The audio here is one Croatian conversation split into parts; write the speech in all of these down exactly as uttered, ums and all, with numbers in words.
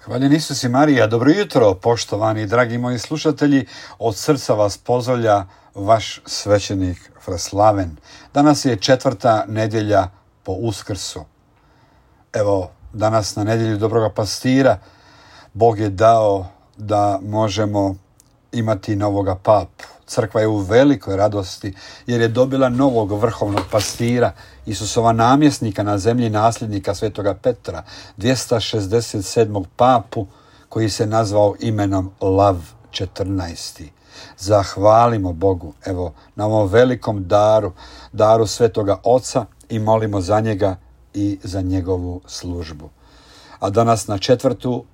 Hvaljen Isus i Marija, dobro jutro, poštovani dragi moji slušatelji, od srca vas pozdravlja vaš svećenik Fraslaven. Danas je četvrta nedjelja po Uskrsu. Evo, danas na nedjelju Dobroga pastira Bog je dao da možemo imati novoga papu. Crkva je u velikoj radosti jer je dobila novog vrhovnog pastira, Isusova namjesnika na zemlji, nasljednika svetoga Petra, dvjesto šezdeset sedmog papu koji se nazvao imenom Lav četrnaesti. Zahvalimo Bogu evo na ovom velikom daru, daru svetoga Oca i molimo za njega i za njegovu službu. A danas na četvrtu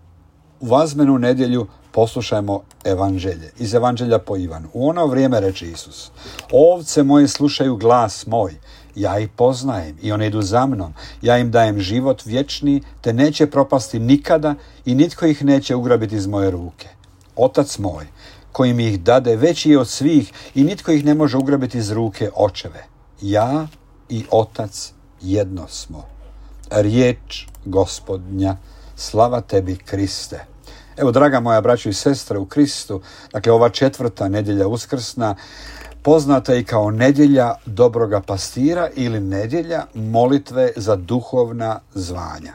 vazmenu nedjelju poslušajmo evanđelje. Iz evanđelja po Ivanu. U ono vrijeme reče Isus: ovce moje slušaju glas moj, ja ih poznajem i one idu za mnom. Ja im dajem život vječni, te neće propasti nikada i nitko ih neće ugrabiti iz moje ruke. Otac moj, koji mi ih dade, veći je od svih i nitko ih ne može ugrabiti iz ruke očeve. Ja i Otac jedno smo. Riječ Gospodnja, slava tebi Kriste. Evo, draga moja braćo i sestre u Kristu, dakle ova četvrta nedjelja uskrsna poznata i kao nedjelja Dobroga pastira ili nedjelja molitve za duhovna zvanja.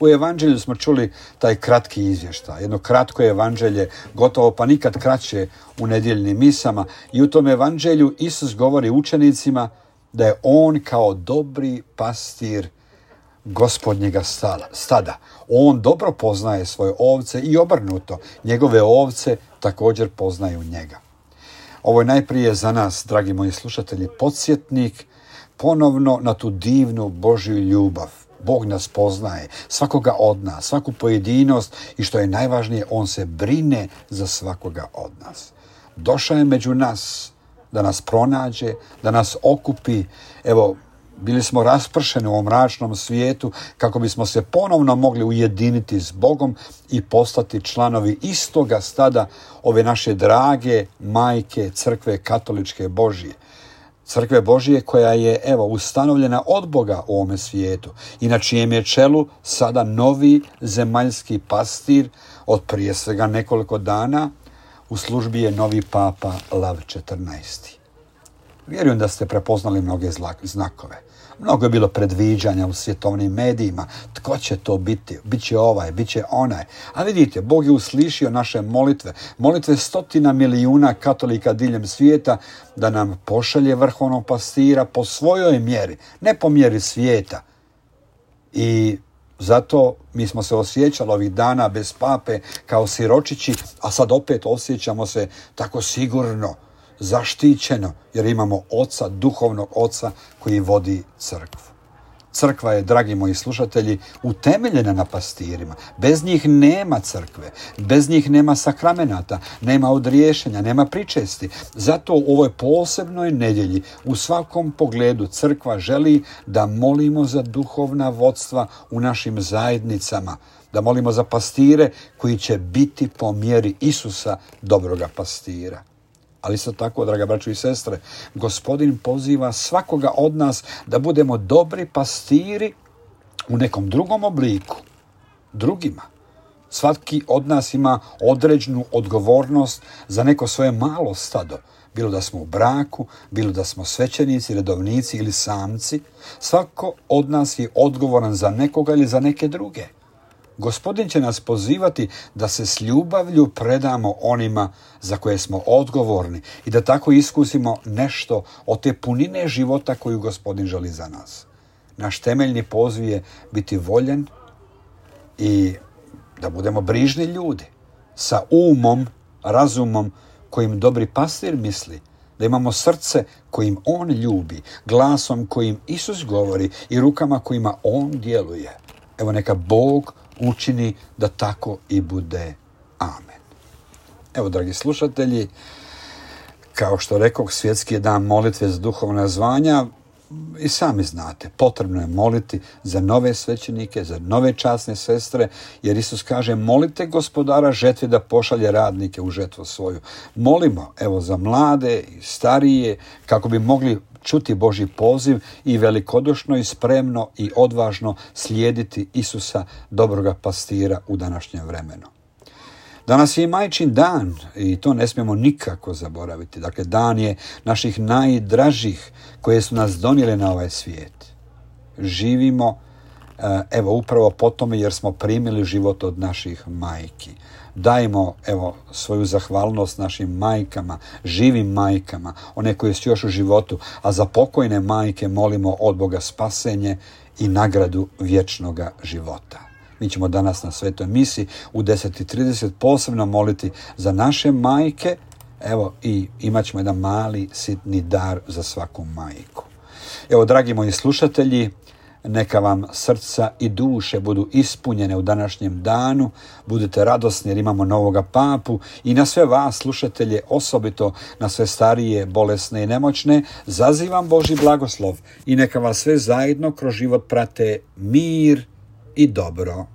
U evanđelju smo čuli taj kratki izvještaj, jedno kratko evanđelje, gotovo pa nikad kraće u nedjeljnim misama, i u tom evanđelju Isus govori učenicima da je on kao dobri pastir Gospodnjega stada. On dobro poznaje svoje ovce i obrnuto, njegove ovce također poznaju njega. Ovo je najprije za nas, dragi moji slušatelji, podsjetnik ponovno na tu divnu Božju ljubav. Bog nas poznaje, svakoga od nas, svaku pojedinost i što je najvažnije, on se brine za svakoga od nas. Došao je među nas da nas pronađe, da nas okupi. Evo, bili smo raspršeni u ovom mračnom svijetu kako bismo se ponovno mogli ujediniti s Bogom i postati članovi istoga stada ove naše drage majke Crkve katoličke Božije. Crkve Božije koja je evo ustanovljena od Boga u ovome svijetu i na čijem je čelu sada novi zemaljski pastir od prije svega nekoliko dana. U službi je novi papa Lav četrnaesti. Vjerujem da ste prepoznali mnoge znakove. Mnogo je bilo predviđanja u svjetovnim medijima. Tko će to biti? Biće ovaj, biće onaj. A vidite, Bog je uslišio naše molitve. Molitve stotina milijuna katolika diljem svijeta da nam pošalje vrhovnog pastira po svojoj mjeri, ne po mjeri svijeta. I zato mi smo se osjećali ovih dana bez pape kao siročići, a sad opet osjećamo se tako sigurno, zaštićeno, jer imamo oca, duhovnog oca koji vodi crkvu. Crkva je, dragi moji slušatelji, utemeljena na pastirima. Bez njih nema crkve, bez njih nema sakramenata, nema odriješenja, nema pričesti. Zato u ovoj posebnoj nedjelji u svakom pogledu crkva želi da molimo za duhovna vodstva u našim zajednicama, da molimo za pastire koji će biti po mjeri Isusa, dobroga pastira. Ali isto tako, draga braćo i sestre, Gospodin poziva svakoga od nas da budemo dobri pastiri u nekom drugom obliku, drugima. Svaki od nas ima određenu odgovornost za neko svoje malo stado, bilo da smo u braku, bilo da smo svećenici, redovnici ili samci. Svako od nas je odgovoran za nekoga ili za neke druge. Gospodin će nas pozivati da se s ljubavlju predamo onima za koje smo odgovorni i da tako iskusimo nešto od te punine života koju Gospodin želi za nas. Naš temeljni poziv je biti voljen i da budemo brižni ljudi sa umom, razumom kojim dobri pastir misli, da imamo srce kojim on ljubi, glasom kojim Isus govori i rukama kojima on djeluje. Evo, neka Bog učini da tako i bude. Amen. Evo, dragi slušatelji, kao što rekoh, svjetski je dan molitve za duhovna zvanja. I sami znate, potrebno je moliti za nove svećenike, za nove časne sestre, jer Isus kaže: molite Gospodara žetve da pošalje radnike u žetvu svoju. Molimo, evo, za mlade i starije, kako bi mogli čuti Božji poziv i velikodušno i spremno i odvažno slijediti Isusa, dobroga pastira u današnjem vremenu. Danas je i majčin dan i to ne smijemo nikako zaboraviti. Dakle, dan je naših najdražih koje su nas donijele na ovaj svijet. Živimo, evo, upravo po tome jer smo primili život od naših majki. Dajmo, evo, svoju zahvalnost našim majkama, živim majkama, one koje su još u životu, a za pokojne majke molimo od Boga spasenje i nagradu vječnoga života. Mi ćemo danas na svetoj misi u deset i trideset posebno moliti za naše majke, evo, i imat ćemo jedan mali sitni dar za svaku majku. Evo, dragi moji slušatelji, neka vam srca i duše budu ispunjene u današnjem danu, budite radosni jer imamo novoga papu i na sve vas slušatelje, osobito na sve starije, bolesne i nemoćne, zazivam Božji blagoslov i neka vas sve zajedno kroz život prate mir i dobro.